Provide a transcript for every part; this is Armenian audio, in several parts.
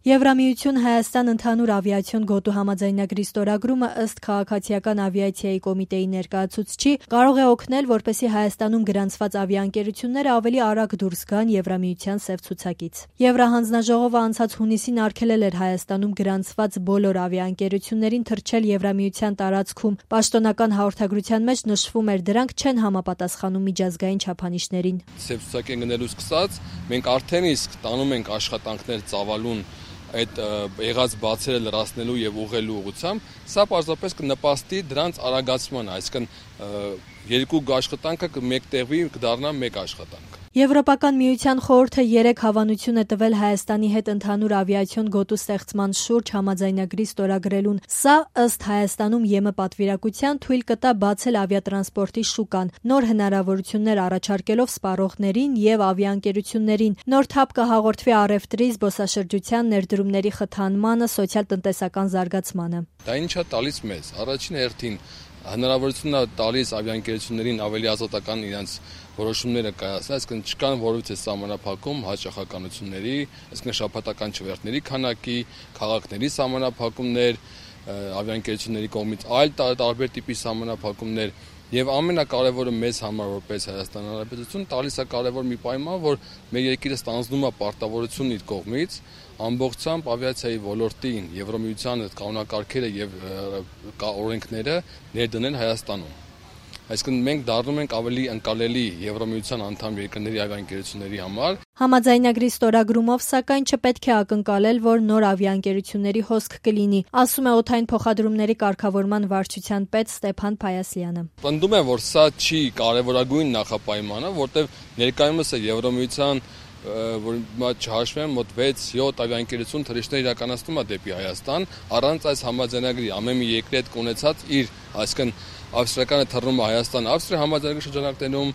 Եվրամիություն Հայաստան ընդհանուր ավիացիոն գոտու համաձայնագրի ստորագրումը ըստ Քաղաքացիական ավիացիայի կոմիտեի ներկայացուցչի կարող է օգնել, որպեսզի Հայաստանում գրանցված ավիաընկերությունները ավելի արագ դուրս գան Եվրամիության սև ցուցակից։ Եվրահանձնաժողովը անցած հունիսին արգելել էր Հայաստանում գրանցված բոլոր ավիաընկերություններին թռչել Եվրամիության տարածքում։ Պաշտոնական հաղորդագրության մեջ նշվում էր, դրանք չեն համապատասխանում միջազգային չափանիշներին։ Սև ցուցակի գնելուց սկսած մենք արդեն իսկ տանում ենք աշխատանքներ ծավալուն այդ եղած բացերը լրացնելու եւ ուղղելու ուղղությամբ, սա պարզապես կնպաստի դրանց արագացմանը, այսինքն երկու աշխատանքը մեկտեղվի, կդառնա մեկ աշխատանք։ Եվրոպական միության խորհուրդը 3 հավանություն է տվել Հայաստանի հետ ընդհանուր ավիացիոն գոտու ստեղծման շուրջ համաձայնագրի ստորագրելուն։ Սա ըստ Հայաստանում ԵՄ պատվիրակության թույլ կտա բացել ավիատրանսպորտի շուկան, նոր հնարավորություններ առաջարկելով սպառողներին եւ ավիաընկերություններին, նոր թափ կհաղորդվի առևտրի, զբոսաշրջության, ներդրումների խթանմանը, սոցիալ-տնտեսական զարգացմանը։ Դա ինչ է տալիս մեզ։ Առաջին հերթին հնարավորություն է տալիս ավիաընկերություններին ավելի ազատական իրենց որոշումները կայացնել, այսինքն չկան որևէ սահմանափակում հաճախականությունների, այսինքն շաբաթական չվերթների քանակի, քաղաքների սահմանափակումներ, ավիաընկերությունների կողմից այլ տարբեր տիպի սահմանափակումներ եւ ամենակարևորը մեզ համար որպես Հայաստան Հանրապետություն տալիս է կարևոր մի պայման, որ մեր երկիրը ստանձնում է պարտավորություն իր կողմից ամբողջությամբ ավիացիայի ոլորտին Եվրամիության կանոնակարգերը եւ օրենքները ներդնել Հայաստանում։ Այսինքն մենք դառնում ենք ավելի ընկալելի Եվրամիության անդամ երկրների ավիաընկերությունների համար։ Համաձայնագրի ստորագրումով, սակայն, չպետք է ակնկալել, որ նոր ավիաընկերությունների հոսք կլինի, ասում է օդային փոխադրումների կարգավորման վարչության պետ Ստեփան Փայասյանը։ Պնդում եմ, որ սա չի կարևորագույն նախապայմանը, որտեղ ներկայումս է Եվրամիության որ չհաշվեմ մոտ 6-7 ավիաընկերություն թռիչքներ իրականացնում է դեպի Հայաստան, առանց այս համաձայնագրի ամեն մի երկրի հետ կունեցած իր, այսինքն ավստրիականը թռնում է Հայաստան, Ավստրիա համաձայնագրի շրջանակներում,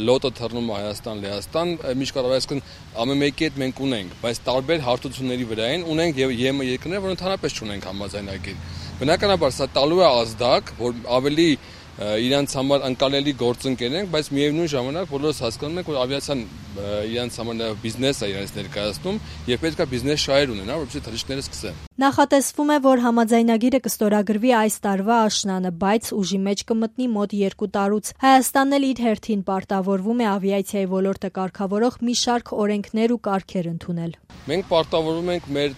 լոտը թռնում է Հայաստան, Լեհաստան, միջկառավարական, այսինքն ամեն մեկի հետ մենք ունենք, բայց տարբեր հարթությունների վրային ունենք եւ ԵՄ երկրներ, որ ընդհանրապես չունենք համաձայնագիր։ Բնականաբար սա տալու է ազդակ, որ ավելի իրենց համար ընկալելի գործընկեր ենք, բայց միևնույն ժամանակ բոլորս հասկանում ենք, որ ավիացիան իրենց համար բիզնես է իրենց ներկայացնում եւ պետք է բիզնես շահեր ունենա, որպեսզի թռիչքները սկսեն։ Նախատեսվում է, որ համաձայնագիրը կստորագրվի այս տարվա աշնանը, բայց ուժի մեջ կմտնի մոտ 2 տարուց։ Հայաստանն էլ իր հերթին պարտավորվում է ավիացիայի ոլորտը կարգավորող մի շարք օրենքներ ու կարգեր ընդունել։ Մենք պարտավորվում ենք մեր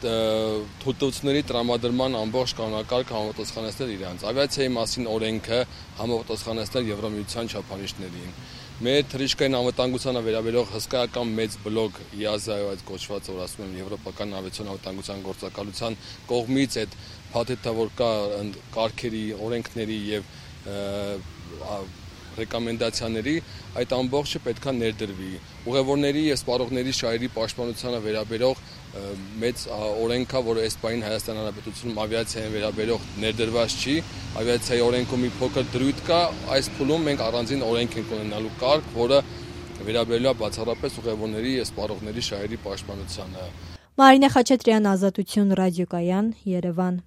թույլտվությունների տրամադրման ամբողջ կանոնակարգը համապատասխանեցնել իրանց։ Ավիացիայի մասին օրենքը համապատասխանեցնել Եվրամիության չափանիշներին։ Մեր թռիչքային անվտանգությանը վերաբերող հսկայական մեծ բլոկ EASA-ը այդ կոչված, որ ասում եմ Եվրոպական ավիացիոն անվտանգության գործակալության կողմից այդ փաթեթավոր կա կարգերի, օրենքների եւ ռեկոմենդացիաների այդ ամբողջը պետքա ներդրվի։ Ուղևորների եւ սպառողների շահերի պաշտպանությանը վերաբերող մեծ օրենքա, որը այս պահին Հայաստան Հանրապետությունում ավիացիային վերաբերող ներդրված չի, ավիացիայի օրենքում մի փոքր դրույթ կա, այս փուլում մենք առանձին օրենք ենք ունենալու կարգ, որը վերաբերելու է բացառապես ուղևորների եւ սպառողների շահերի պաշտպանությանը։ Մարինե Խաչատրյան, Ազատություն ռադիոկայան, Երևան։